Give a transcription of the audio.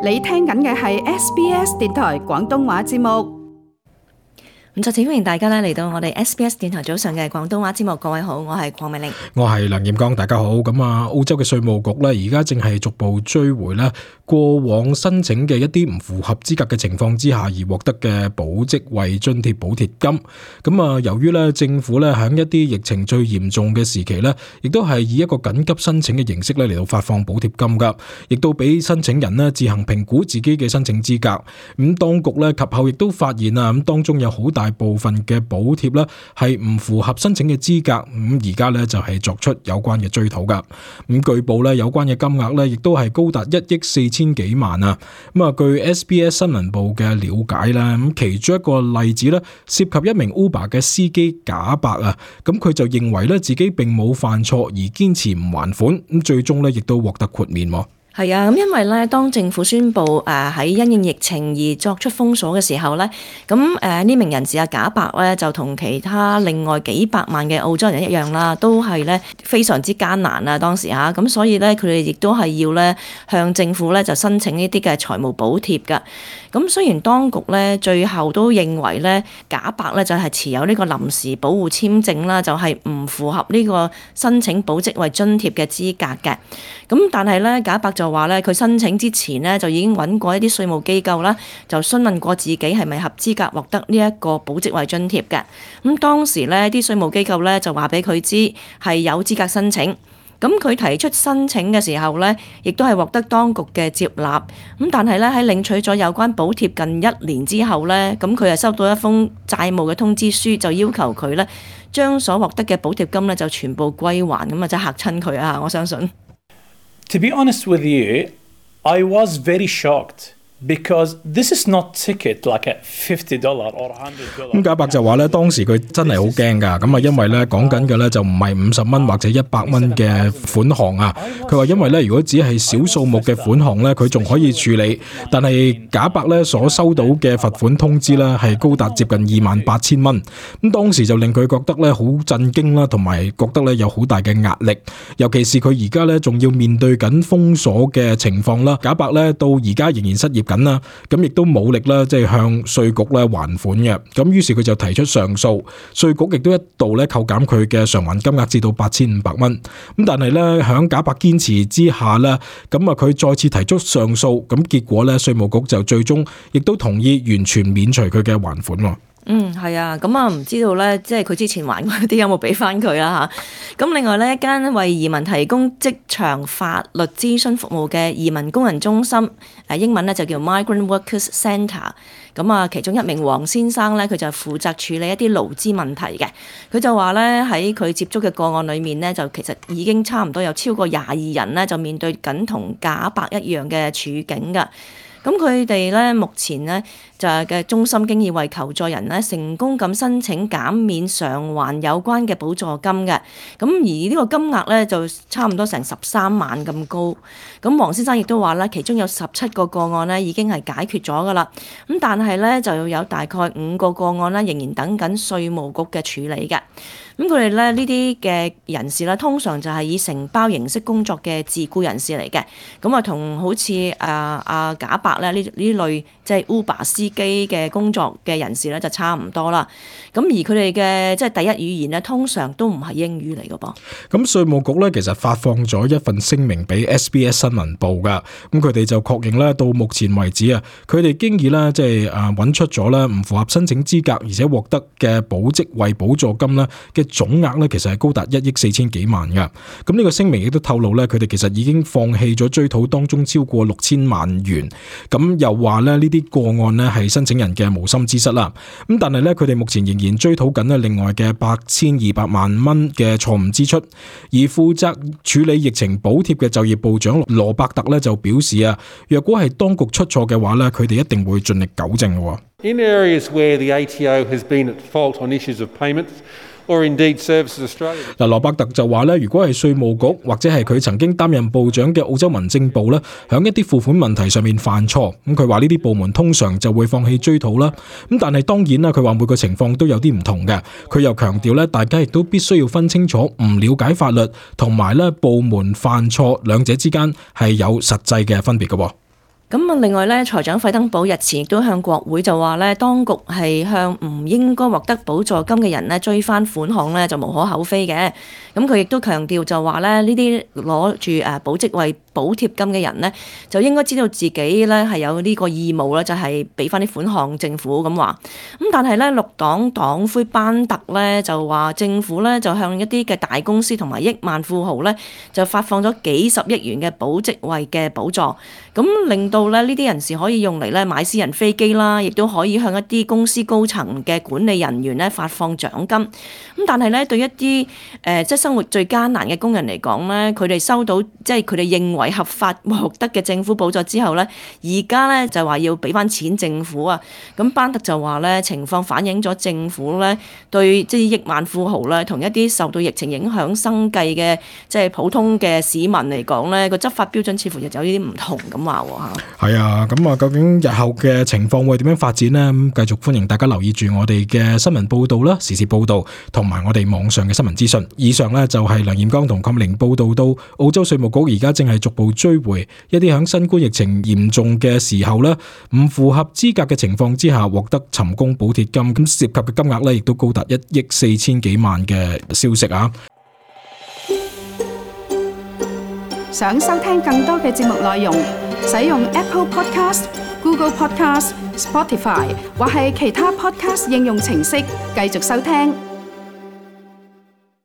你聽緊嘅係 SBS 電台廣東話節目。咁再次歡迎大家咧嚟到我哋 SBS 電台早上嘅廣東話節目。各位好，我係鄺美玲，我係梁彥剛，大家好。咁澳洲嘅稅務局咧，而家正係逐步追回咧過往申請嘅一啲唔符合資格嘅情況之下而獲得嘅保職位津貼補貼金。咁由於咧政府咧喺一啲疫情最嚴重嘅時期咧，亦都係以一個緊急申請嘅形式咧嚟到發放補貼金噶，亦都俾申請人咧自行評估自己嘅申請資格。咁當局咧及後亦都發現啊，咁當中有好大部分嘅補貼咧係唔符合申請嘅資格，咁而家咧就係作出有關嘅追討噶。咁據報咧有關嘅金額咧亦都係高達1億4千幾萬啊。咁據 SBS 新聞部嘅了解啦，咁其中一個例子咧涉及一名 Uber 嘅司機賈伯啊，咁佢就認為咧自己並冇犯錯而堅持唔還款，咁最終咧亦都獲得豁免。係啊，咁因為咧，當政府宣布喺因應疫情而作出封鎖嘅時候咧，咁呢名人士賈伯咧就同其他另外幾百萬嘅澳洲人一樣啦，都係咧非常之艱難啊當時嚇，咁所以咧佢哋亦都係要咧向政府咧就申請呢啲嘅財務補貼㗎。咁雖然當局咧最後都認為咧賈伯咧就係持有呢個臨時保護簽證啦，就係唔符合呢個申請保職位津貼嘅資格嘅。咁但係咧賈伯就話咧佢申請之前咧就已經揾過一啲稅務機構啦，就詢問過自己係咪合資格獲得呢一個保職位津貼嘅。咁當時咧啲稅務機構咧就話俾佢知係有資格申請。咁佢提出申請嘅時候咧，亦都係獲得當局嘅接納。咁但係咧喺領取咗有關補貼近1年之後咧，咁佢就收到一封債務嘅通知書，就要求佢咧將所獲得嘅補貼金咧就全部歸還。咁啊真係嚇親佢啊！我相信。To be honest with you, I was very shocked because this is not ticket like a $50 or $100。咁賈伯就話咧，當時佢真係好驚㗎，咁因為咧講緊嘅咧就唔係50蚊或者100蚊嘅款項啊。佢話因為咧如果只係小數目嘅款項咧，佢仲可以處理，但係賈伯咧所收到嘅罰款通知咧係高達接近28,000蚊。咁當時就令佢覺得咧好震驚啦，同埋覺得咧有好大嘅壓力，尤其是佢而家咧仲要面對緊封鎖嘅情況啦。賈伯咧到而家仍然失業緊啦，咁亦都冇力啦，即係向稅局咧還款嘅。咁於是佢就提出上訴，稅局亦都一度咧扣減佢嘅償還金額至到8,500蚊。咁但係咧響賈伯堅持之下咧，咁佢再次提出上訴，咁結果咧稅務局就最終亦都同意完全免除佢嘅還款。係啊，咁唔知道咧，即係佢之前還嗰啲有冇俾翻佢啦嚇。咁另外咧，一間為移民提供職場法律諮詢服務嘅移民工人中心，英文咧就叫 Migrant Workers Centre。咁其中一名黃先生咧，佢就負責處理一啲勞資問題嘅。佢就話咧喺佢接觸嘅個案裏面咧，就其實已經差唔多有超過22人咧，就面對緊同賈伯一樣嘅處境㗎。咁佢哋咧目前咧就係嘅中心經已為求助人咧成功咁申請減免償還有關嘅補助金嘅。咁而呢個金額咧就差唔多成13萬咁高。咁黃先生亦都話咧，其中有17個個案咧已經係解決咗㗎啦。咁但係咧就要有大概5個個案咧仍然等緊稅務局嘅處理嘅。咁佢哋咧呢啲嘅人士咧，通常就係以承包形式工作嘅自僱人士嚟嘅。咁同好似賈伯咧呢類即係 Uber 司機嘅工作嘅人士咧就差唔多啦。咁而佢哋嘅即係第一語言咧，通常都唔係英語嚟嘅噃。咁稅務局咧其實發放咗一份聲明俾 SBS 新聞部㗎。咁佢哋就確認咧，到目前為止啊，佢哋經已咧即係揾出咗咧唔符合申請資格而且獲得嘅保職位補助金咧嘅總額咧，其實係高達1億4千幾萬㗎。咁呢個聲明亦都透露咧，佢哋其實已經放棄咗追討當中超過6,000萬元。咁又話咧呢啲個案咧係申請人嘅無心之失啦。咁但係咧佢哋目前仍然追討緊咧另外嘅8,200萬蚊嘅錯誤支出。而負責處理疫情補貼嘅就業部長羅伯特咧就表示啊，若果係當局出錯嘅話咧，佢哋一定會盡力糾正嘅。In areas where the ATO has been at fault on issues of payments, or indeed Services Australia。嗱，羅伯特就話咧，如果係稅務局或者係佢曾經擔任部長嘅澳洲民政部咧，響一啲付款問題上面犯錯，咁佢話呢啲部門通常就會放棄追討啦。咁但係當然啦，佢話每個情況都有啲唔同嘅。佢又強調咧，大家亦都必須要分清楚唔了解法律同埋咧部門犯錯兩者之間係有實際嘅分別嘅。咁啊，另外咧，財長費登堡日前亦都向國會就話咧，當局係向唔應該獲得補助金嘅人咧追翻款項咧，就無可厚非嘅。咁佢亦都強調就話咧，呢啲攞住保職位補貼金嘅人咧，就應該知道自己咧係有呢個義務咧，就係俾翻啲款項政府咁話。咁但係咧，綠黨黨魁班特咧就話政府咧就向一啲嘅大公司同埋億萬富豪咧就發放咗幾十億元嘅保職位嘅補助，咁令到咧呢啲人士可以用嚟咧買私人飛機啦，亦都可以向一啲公司高層嘅管理人員咧發放獎金。咁但係咧對一啲即係生活最艱難嘅工人嚟講咧，佢哋收到即係佢哋認為合法獲得嘅政府補助之後咧，而家咧就話要俾翻錢政府啊。咁班特就話咧，情況反映咗政府咧對即係億萬富豪咧同一啲受到疫情影響生計嘅即係普通嘅市民嚟講咧，個執法標準似乎又有啲唔同咁話喎嚇。係啊，咁啊，究竟日後嘅情況會點樣發展呢？咁繼續歡迎大家留意住我哋嘅新聞報導啦、時事報導同埋我哋網上嘅新聞資訊。以上呢，就係梁彥剛同鄺明報導到澳洲稅務局而家正係逐步追回一啲響新冠疫情嚴重嘅時候呢，唔符合資格嘅情況之下獲得尋工補貼金，咁涉及嘅金額呢，亦都高達1億4千幾萬嘅消息啊！想收聽更多嘅節目內容，使用 Apple Podcast、Google Podcast、Spotify 或係其他 Podcast 應用程式繼續收聽。